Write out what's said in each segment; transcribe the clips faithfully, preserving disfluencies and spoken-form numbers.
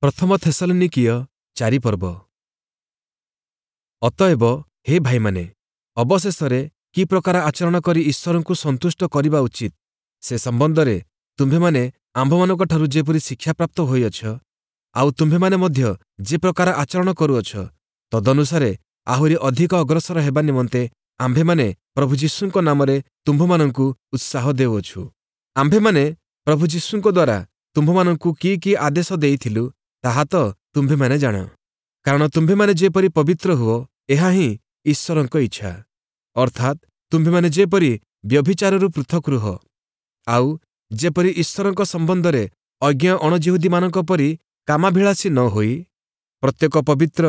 ପ୍ରଥମ ଥେସଲନୀକୀୟ ଚାରି ପର୍ବ। ଅତଏବ ହେ ଭାଇମାନେ, ଅବଶେଷରେ କି ପ୍ରକାର ଆଚରଣ କରି ଈଶ୍ୱରଙ୍କୁ ସନ୍ତୁଷ୍ଟ କରିବା ଉଚିତ, ସେ ସମ୍ବନ୍ଧରେ ତୁମ୍ଭେମାନେ ଆମ୍ଭମାନଙ୍କଠାରୁ ଯେପରି ଶିକ୍ଷାପ୍ରାପ୍ତ ହୋଇଅଛ, ଆଉ ତୁମ୍ଭେମାନେ ମଧ୍ୟ ଯେ ପ୍ରକାର ଆଚରଣ କରୁଅଛ, ତଦନୁସାରେ ଆହୁରି ଅଧିକ ଅଗ୍ରସର ହେବା ନିମନ୍ତେ ଆମ୍ଭେମାନେ ପ୍ରଭୁ ଯୀଶୁଙ୍କ ନାମରେ ତୁମ୍ଭମାନଙ୍କୁ ଉତ୍ସାହ ଦେଉଅଛୁ। ଆମ୍ଭେମାନେ ପ୍ରଭୁ ଯୀଶୁଙ୍କ ଦ୍ୱାରା ତୁମ୍ଭମାନଙ୍କୁ କି କି ଆଦେଶ ଦେଇଥିଲୁ, ତାହା ତ ତୁମ୍ଭେମାନେ ଜାଣ। କାରଣ ତୁମ୍ଭେମାନେ ଯେପରି ପବିତ୍ର ହୁଅ, ଏହା ହିଁ ଈଶ୍ୱରଙ୍କ ଇଚ୍ଛା। ଅର୍ଥାତ୍ ତୁମ୍ଭେମାନେ ଯେପରି ବ୍ୟଭିଚାରରୁ ପୃଥକ୍ ରୁହ, ଆଉ ଯେପରି ଈଶ୍ୱରଙ୍କ ସମ୍ବନ୍ଧରେ ଅଜ୍ଞ ଅଣଯିହୁଦୀମାନଙ୍କ ପରି କାମାଭିଳାଷୀ ନ ହୋଇ ପ୍ରତ୍ୟେକ ପବିତ୍ର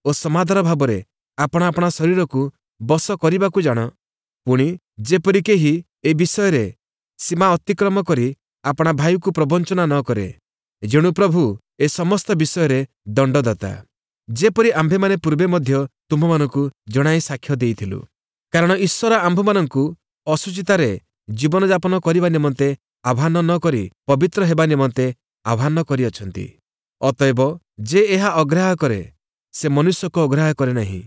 ଓ ସମାଦର ଭାବରେ ଆପଣା ଆପଣା ଶରୀରକୁ ବଶ କରିବାକୁ ଜାଣ, ପୁଣି ଯେପରି କେହି ଏ ବିଷୟରେ ସୀମା ଅତିକ୍ରମ କରି ଆପଣା ଭାଇକୁ ପ୍ରବଞ୍ଚନା ନ କରେ। ଯେଣୁ ପ୍ରଭୁ ଏ ସମସ୍ତ ବିଷୟରେ ଦଣ୍ଡଦାତା, ଯେପରି ଆମ୍ଭେମାନେ ପୂର୍ବେ ମଧ୍ୟ ତୁମ୍ଭମାନଙ୍କୁ ଜଣାଇ ସାକ୍ଷ୍ୟ ଦେଇଥିଲୁ। କାରଣ ଈଶ୍ୱର ଆମ୍ଭମାନଙ୍କୁ ଅଶୁଚିତାରେ ଜୀବନଯାପନ କରିବା ନିମନ୍ତେ ଆହ୍ୱାନ ନ କରି ପବିତ୍ର ହେବା ନିମନ୍ତେ ଆହ୍ୱାନ କରିଅଛନ୍ତି। ଅତଏବ ଯେ ଏହା ଅଗ୍ରାହ୍ୟ କରେ, ସେ ମନୁଷ୍ୟକୁ ଅଗ୍ରାହ୍ୟ କରେ ନାହିଁ,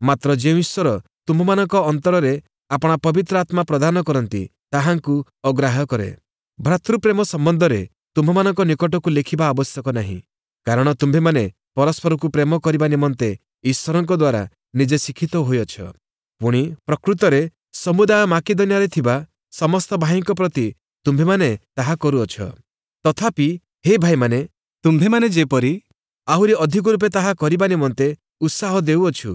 ମାତ୍ର ଯେଉଁ ଈଶ୍ୱର ତୁମ୍ଭମାନଙ୍କ ଅନ୍ତରରେ ଆପଣା ପବିତ୍ର ଆତ୍ମା ପ୍ରଦାନ କରନ୍ତି, ତାହାଙ୍କୁ ଅଗ୍ରାହ୍ୟ କରେ। ଭ୍ରାତୃପ୍ରେମ ସମ୍ବନ୍ଧରେ ତୁମ୍ଭମାନଙ୍କ ନିକଟକୁ ଲେଖିବା ଆବଶ୍ୟକ ନାହିଁ, କାରଣ ତୁମ୍ଭେମାନେ ପରସ୍ପରକୁ ପ୍ରେମ କରିବା ନିମନ୍ତେ ଈଶ୍ୱରଙ୍କ ଦ୍ୱାରା ନିଜେ ଶିକ୍ଷିତ ହୋଇଅଛ। ପୁଣି ପ୍ରକୃତରେ ସମୁଦାୟ ମାକିଦନିଆରେ ଥିବା ସମସ୍ତ ଭାଇଙ୍କ ପ୍ରତି ତୁମ୍ଭେମାନେ ତାହା କରୁଅଛ। ତଥାପି ହେ ଭାଇମାନେ, ତୁମ୍ଭେମାନେ ଯେପରି ଆହୁରି ଅଧିକ ରୂପେ ତାହା କରିବା ନିମନ୍ତେ ଉତ୍ସାହ ଦେଉଅଛୁ,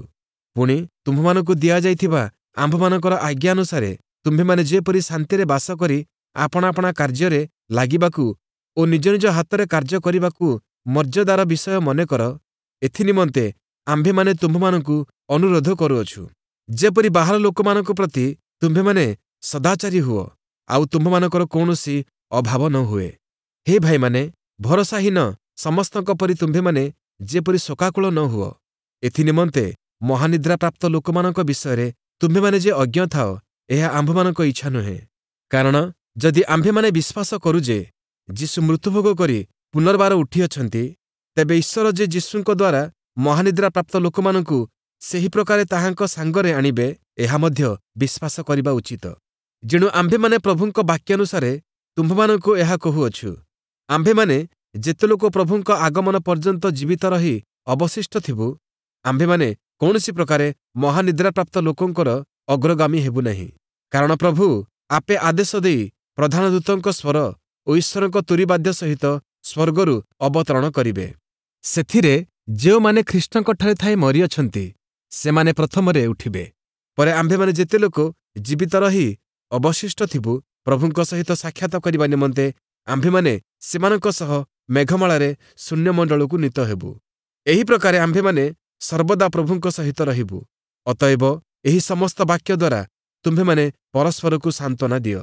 ପୁଣି ତୁମ୍ଭମାନଙ୍କୁ ଦିଆଯାଇଥିବା ଆମ୍ଭମାନଙ୍କର ଆଜ୍ଞାନୁସାରେ ତୁମ୍ଭେମାନେ ଯେପରି ଶାନ୍ତିରେ ବାସ କରି ଆପଣା ଆପଣା କାର୍ଯ୍ୟରେ ଲାଗିବାକୁ ଓ ନିଜ ନିଜ ହାତରେ କାର୍ଯ୍ୟ କରିବାକୁ ମର୍ଯ୍ୟାଦାର ବିଷୟ ମନେକର, ଏଥିନିମନ୍ତେ ଆମ୍ଭେମାନେ ତୁମ୍ଭମାନଙ୍କୁ ଅନୁରୋଧ କରୁଅଛୁ। ଯେପରି ବାହାର ଲୋକମାନଙ୍କ ପ୍ରତି ତୁମ୍ଭେମାନେ ସଦାଚାରୀ ହୁଅ, ଆଉ ତୁମ୍ଭମାନଙ୍କର କୌଣସି ଅଭାବ ନ ହୁଏ। ହେ ଭାଇମାନେ, ଭରସାହୀନ ସମସ୍ତଙ୍କ ପରି ତୁମ୍ଭେମାନେ ଯେପରି ଶୋକାକୁଳ ନ ହୁଅ, ଏଥିନିମନ୍ତେ ମହାନିଦ୍ରାପ୍ରାପ୍ତ ଲୋକମାନଙ୍କ ବିଷୟରେ ତୁମ୍ଭେମାନେ ଯେ ଅଜ୍ଞ ଥାଅ, ଏହା ଆମ୍ଭମାନଙ୍କ ଇଚ୍ଛା ନୁହେଁ। କାରଣ ଯଦି ଆମ୍ଭେମାନେ ବିଶ୍ୱାସ କରୁ ଯେ ଯୀଶୁ ମୃତ୍ୟୁଭୋଗ କରି ପୁନର୍ବାର ଉଠିଅଛନ୍ତି, ତେବେ ଈଶ୍ୱର ଯେ ଯୀଶୁଙ୍କ ଦ୍ୱାରା ମହାନିଦ୍ରାପ୍ରାପ୍ତ ଲୋକମାନଙ୍କୁ ସେହି ପ୍ରକାରେ ତାହାଙ୍କ ସାଙ୍ଗରେ ଆଣିବେ, ଏହା ମଧ୍ୟ ବିଶ୍ୱାସ କରିବା ଉଚିତ। ଯେଣୁ ଆମ୍ଭେମାନେ ପ୍ରଭୁଙ୍କ ବାକ୍ୟାନୁସାରେ ତୁମ୍ଭମାନଙ୍କୁ ଏହା କହୁଅଛୁ, ଆମ୍ଭେମାନେ ଯେତେ ଲୋକ ପ୍ରଭୁଙ୍କ ଆଗମନ ପର୍ଯ୍ୟନ୍ତ ଜୀବିତ ରହି ଅବଶିଷ୍ଟ ଥିବୁ, ଆମ୍ଭେମାନେ କୌଣସି ପ୍ରକାରେ ମହାନିଦ୍ରାପ୍ରାପ୍ତ ଲୋକଙ୍କର ଅଗ୍ରଗାମୀ ହେବୁ ନାହିଁ। କାରଣ ପ୍ରଭୁ ଆପେ ଆଦେଶ ଦେଇ ପ୍ରଧାନ ଦୂତଙ୍କ ସ୍ୱର ଓ ଈଶ୍ୱରଙ୍କ ତୁରୀବାଦ୍ୟ ସହିତ ସ୍ୱର୍ଗରୁ ଅବତରଣ କରିବେ। ସେଥିରେ ଯେଉଁମାନେ ଖ୍ରୀଷ୍ଟଙ୍କଠାରେ ଥାଇ ମରିଅଛନ୍ତି, ସେମାନେ ପ୍ରଥମରେ ଉଠିବେ। ପରେ ଆମ୍ଭେମାନେ ଯେତେ ଲୋକ ଜୀବିତ ରହି ଅବଶିଷ୍ଟ ଥିବୁ, ପ୍ରଭୁଙ୍କ ସହିତ ସାକ୍ଷାତ କରିବା ନିମନ୍ତେ ଆମ୍ଭେମାନେ ସେମାନଙ୍କ ସହ ମେଘମାଳାରେ ଶୂନ୍ୟମଣ୍ଡଳକୁ ନୀତ ହେବୁ। ଏହି ପ୍ରକାରେ ଆମ୍ଭେମାନେ ସର୍ବଦା ପ୍ରଭୁଙ୍କ ସହିତ ରହିବୁ। ଅତଏବ ଏହି ସମସ୍ତ ବାକ୍ୟ ଦ୍ୱାରା ତୁମ୍ଭେମାନେ ପରସ୍ପରକୁ ସାନ୍ତ୍ୱନା ଦିଅ।